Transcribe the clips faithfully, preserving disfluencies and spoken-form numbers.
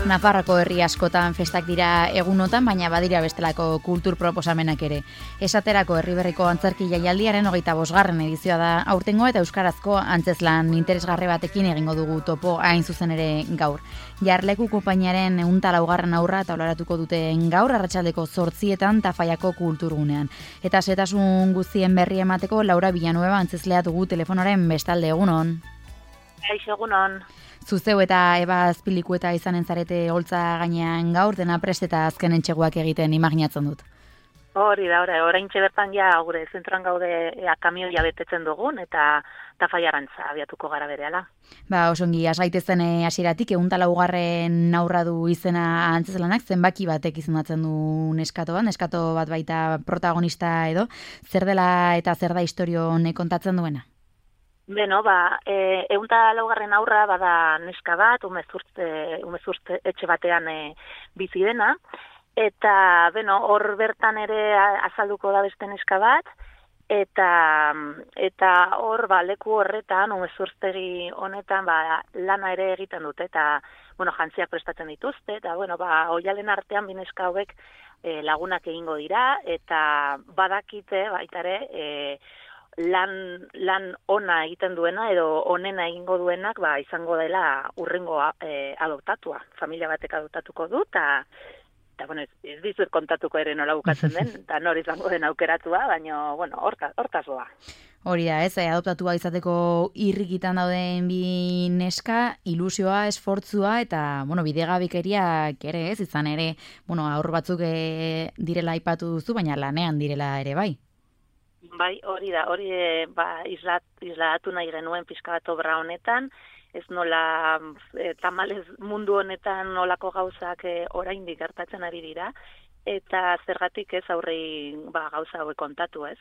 Nafarroko herri askotan festak dira egunotan, baina badira bestelako kultur proposamenak ere. Esaterako Herriberriko antzerki jaialdiaren hogeita bosgarren edizioa da aurtengo eta euskarazko antzezlan interesgarri batekin egingo dugu topo hain zuzen ere gaur. Jarleku konpainiaren ehun eta laugarren aurra taularatuko duten gaur arratsaldeko zortzietan Tafallako kulturgunean. Eta zetasun guztien berri emateko Laura Villanueva antzezlea dugu telefonaren bestalde. Egunon. Kaixo, egunon. Zuzeu eta Eba Azpilikueta izanen zarete holtza gainean gaur, dena prest eta azken entxeguak egiten imaginatzen dut. Hori da, hori, oraintxe bertan ja gure zentroan gaude ea kamioia betetzen dugun eta Tafallarantza abiatuko gara berehala. Ba, osongi, asgaitezen hasieratik ehun eta laugarren aurra du izena antzezlanak, zenbaki batek izendatzen du neskato bat, neskato bat baita protagonista edo, zer dela eta zer da istorio honek kontatzen duena? Beno, ba, e, ehun eta laugarren aurra bada neska bat, umezurtze, umezurtze etxe batean e, bizi dena, eta, beno, hor bertan ere azalduko da beste neska bat, eta eta hor, ba, leku horretan, umezurtzegi honetan, ba, lana ere egiten dute, eta, bueno, jantziak prestatzen dituzte, eta, bueno, ba, oialen artean bi neska hauek e, lagunak egingo dira, eta badakite, baita ere, e, lan lan ona egiten duena edo onena egingo duenak ba izango dela urrengo e, adoptatua. Familia batek adoptatuko du ta ta bueno, ez, ez dizut kontatuko ere nola bukatzen den, ta nor izango den aukeratua, baina bueno, horta hortaz doa. Hori da, ez, adoptatua izateko irrikitan dauden bi neska, ilusioa, esfortzua eta, bueno, bidegabikeriak ere, ez, izan ere, bueno, aur batzuk e, direla aipatu duzu, baina lanean direla ere bai. Bai, hori da, hori e, ba, islat, islatu nahi genuen pixka bat obra honetan, ez nola e, tamalez mundu honetan nolako gauzak e, oraindik gertatzen ari dira, eta zergatik ez aurrei ba, gauza hauek kontatu, ez?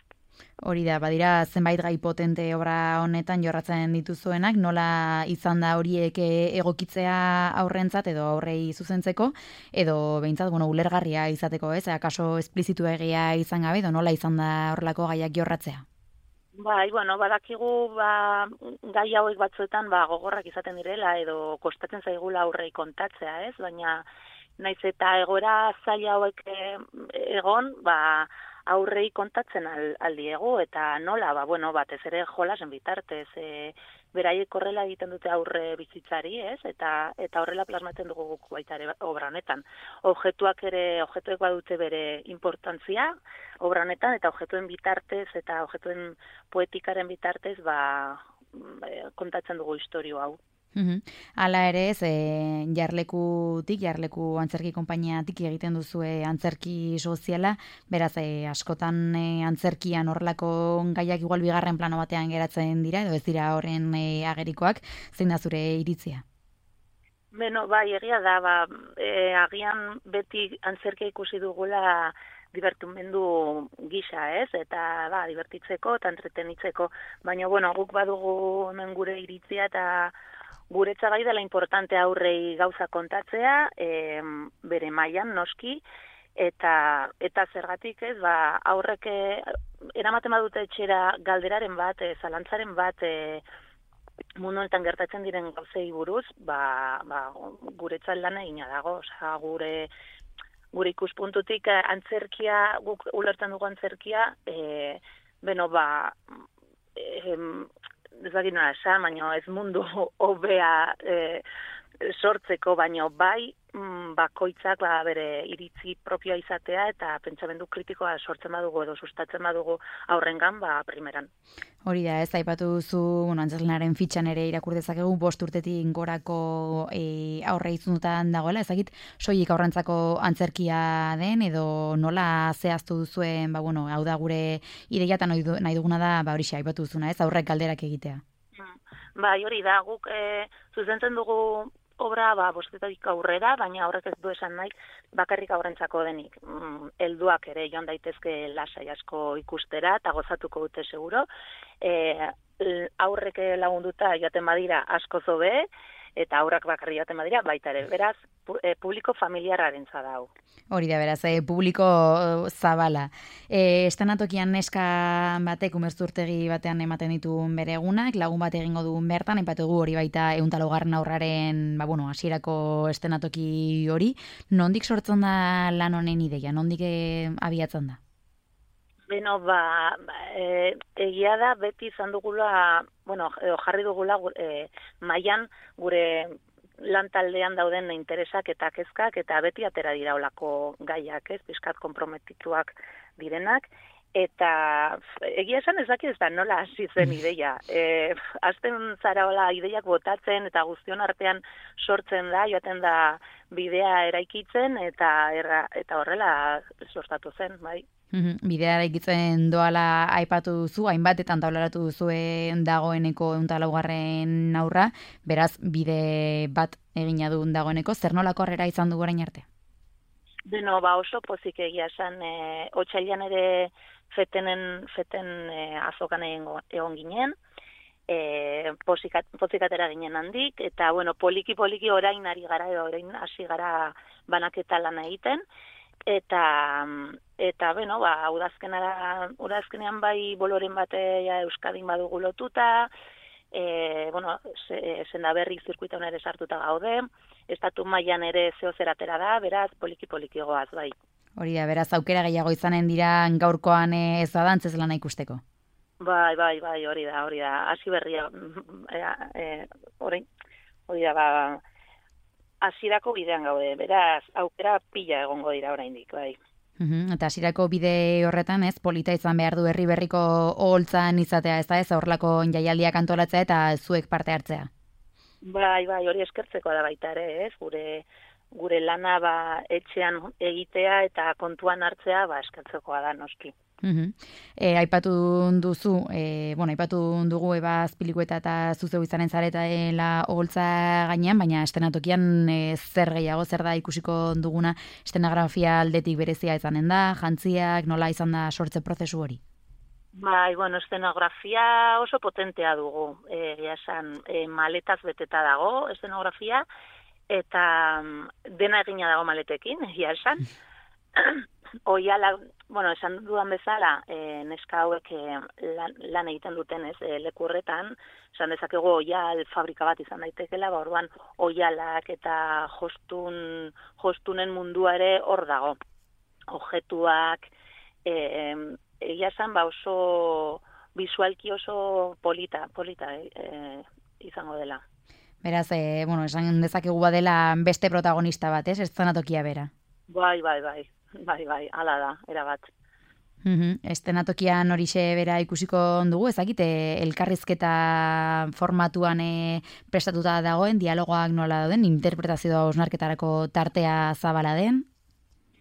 Hori da, badira zenbait gai potente obra honetan jorratzen dituzuenak, nola izan da horiek egokitzea aurrentzat edo aurrei zuzentzeko, edo behintzat, bueno, ulergarria izateko, ez? Akaso esplizitu egia izan gabe, edo nola izan da horrelako gaiak jorratzea? Bai, bueno, badakigu ba, gai hauek batzuetan ba, gogorrak izaten direla, edo kostatzen zaigula aurrei kontatzea, ez? Baina naiz eta egoera zaila hauek egon, ba, aurrei kontatzen al, aldiegu, eta nola, ba, bueno, batez ere jolasen bitartez, e, beraiek horrela egiten dute aurre bizitzari, ez? Eta eta horrela plasmatzen dugu guk baita ere obra honetan. Objektuak ere, objektuek badute bere importantzia obra honetan, eta objektuen bitartez, eta objektuen poetikaren bitartez, ba, kontatzen dugu istorio hau. Uhum. Hala ere ez, e, jarlekutik, jarleku antzerki konpainiatik egiten duzue antzerki soziala, beraz e, askotan e, antzerkian horrelako gaiak igual bigarren plano batean geratzen dira, edo ez dira horren e, agerikoak, zein da zure iritzia? Beno, bai, egia da, ba, e, agian beti antzerkia ikusi dugula divertimendu gisa, ez? Eta ba, divertitzeko eta entretenitzeko, baina bueno, guk badugu hemen gure iritzia eta guretza bai dela importante aurrei gauza kontatzea, e, bere mailan noski, eta eta zergatik ez, ba, aurrek eramaten badute etxera galderaren bat, e, zalantzaren bat, e, mundu honetan gertatzen diren gauzei buruz, ba, ba, guretza lan egina dago, osea, gure gure ikuspuntutik antzerkia, guk ulertzen dugu antzerkia, e, beno, ba, e, ez dakit nola esan, baina ez mundu hobea e, sortzeko, baina bai bakoitzak ba, bere iritzi propioa izatea eta pentsamendu kritikoa sortzen badugu edo sustatzen badugu aurrengan, ba, primeran. Hori da, ez aipatu duzu, bueno, antzezlanaren fitxan ere irakur dezakegu bost urtetik gorako e, aurre izundutan dagoela, ezagit soilik aurrentzako antzerkia den edo nola zehaztu duzuen, ba, bueno, hau da gure ideia eta nahi duguna da, ba, horixe aipatu duzuna, ez aurrek galderak egitea. Bai, hori da, guk e, zuzentzen dugu obra ba, bostetik aurrera, baina horrek ez du esan nahi bakarrik aurrentzako denik. Mm, helduak ere joan daitezke lasai asko ikustera eta gozatuko dute seguro. E, aurrek lagunduta joaten badira asko zobe, eta aurrak bakarri joaten badira, baita ere, beraz, pu, e, publiko familiarraren zadau. Hori da, beraz, e, publiko zabala. E, estenatokian neska batek umerzurtegi batean ematen ditu bere egunak, lagun bat egingo du bertan, aipatu dugu hori baita ehun eta laugarren aurraren, ba, bueno, hasierako estenatoki hori. Nondik sortzen da lan honen ideia? Nondik e, abiatzen da? Beno, ba, e, egia da beti izan dugula, bueno, jarri dugula e, mailan gure lan taldean dauden interesak eta kezkak, eta beti atera dira olako gaiak, ez, pixkat konprometituak direnak, eta egia esan ez dakit ez da nola hasi zen ideia. E, azten zara hola ideiak botatzen eta guztion artean sortzen da, joaten da bidea eraikitzen, eta, erra, eta horrela sortatu zen, bai. Bidea eraikitzen doala aipatu duzu, hainbatetan taularatu duzuen dagoeneko ehun eta laugarren aurra, beraz bide bat egina duen dagoeneko, zer nolako harrera izan du orain arte? Beno, ba oso pozik egia esan, e, otsailean ere fetenen, feten e, azokan egon ginen, e, pozikat, pozikatera ginen handik, eta bueno, poliki-poliki orain ari gara, orain hasi gara banaketa lan egiten, eta eta beno, ba udazkenara udazkenean bai boloren batea Euskadin badugu lotuta, eh bueno, Sendaberri zirkuituan ere sartuta gaude, estatu mailan ere zeo zeratera da, beraz poliki poliki goaz bai. Hori da, beraz aukera gehiago izanen dira gaurkoan ez da dantzez lana ikusteko. Bai, bai, bai, hori da, hori da. Hasi berria eh orain hori da ba hasierako bidean gaude, beraz, aukera pila egongo dira oraindik, bai. Uhum, eta hasierako bide horretan, ez, polita izan behar du herri berriko oholtzan izatea, ez da, ez, horrelako jaialdiak antolatzea eta zuek parte hartzea. Bai, bai, hori eskertzeko da baita ere, ez, gure gure lana ba etxean egitea eta kontuan hartzea, ba eskertzekoa da noski. Uhum. E, aipatu duzu, e, bueno, aipatu dugu eba azpilikueta eta zuzeu izanen zaretela oholtza gainean, baina estenatokian e, zer gehiago, zer da ikusiko duguna estenografia aldetik berezia izanen da, jantziak, nola izan da sortze prozesu hori? Bai, bueno, estenografia oso potentea dugu, e, esan, e, maletaz beteta dago estenografia, eta dena egina dago maletekin, egia esan. Oiala, bueno, esan dudan bezala, e, neska hauek e, lan, lan egiten duten, ez, e, leku horretan, esan dezakegu oial fabrika bat izan daitekela, ba orduan oialak eta jostun, jostunen mundua ere hor dago. Objetuak, e, egia esan, ba oso visualki oso polita, polita e, izango dela. Beraz, e, bueno, esan dezakegu badela beste protagonista bat, ez, eszenatokia bera. Bai, bai, bai. Bai, bai, hala da, erabat. Uhum, estenatokian horixe bera ikusiko dugu, ezakite elkarrizketa formatuan e, prestatuta dagoen, dialogoak nola dauden, interpretazioa osnarketarako tartea zabala den?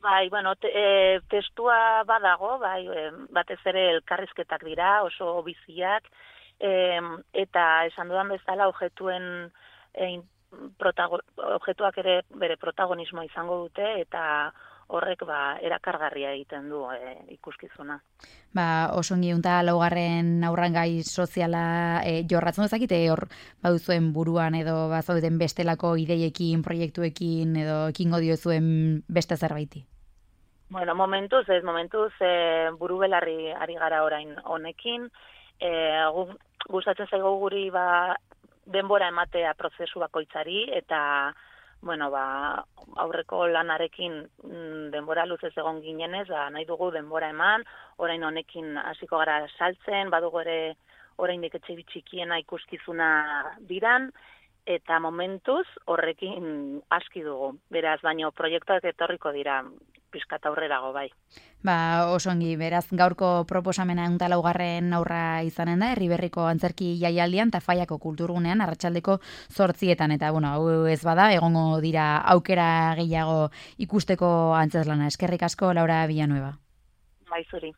Bai, bueno, te, e, testua badago, bai, e, batez ere elkarrizketak dira, oso biziak, e, eta esan dudan bezala objetuen e, protago, objetuak ere bere protagonismo izango dute, eta horrek ba erakargarria egiten du e, ikuskizuna. Ba, oso ongi unta laugarren aurrangai soziala e, jorratzen dezakite hor baduzuen buruan edo bazauden bestelako ideiekin, proiektuekin edo ekingo diozuen beste zerbaiti. Bueno, momentuz, ez momentuz e, buru belarri ari gara orain honekin, e, gustatzen zaigu guri ba denbora ematea prozesu bakoitzari eta bueno, ba, aurreko lanarekin denbora luzez egon ginenez, ba, nahi dugu denbora eman, orain honekin hasiko gara saltzen, badugu ere oraindik etxe txikiena ikuskizuna diran, eta momentuz horrekin aski dugu. Beraz, baino proiektuak etorriko dira pizkat aurrerago bai. Ba, oso ongi, beraz gaurko proposamena ehun eta laugarren aurra izanen da, Herriberriko antzerki jaialdian Tafaiako kulturgunean arratsaldeko zortzietan, eta bueno, hau ez bada, egongo dira aukera gehiago ikusteko antzeslana. Eskerrik asko, Laura Villanueva. Bai, zuri.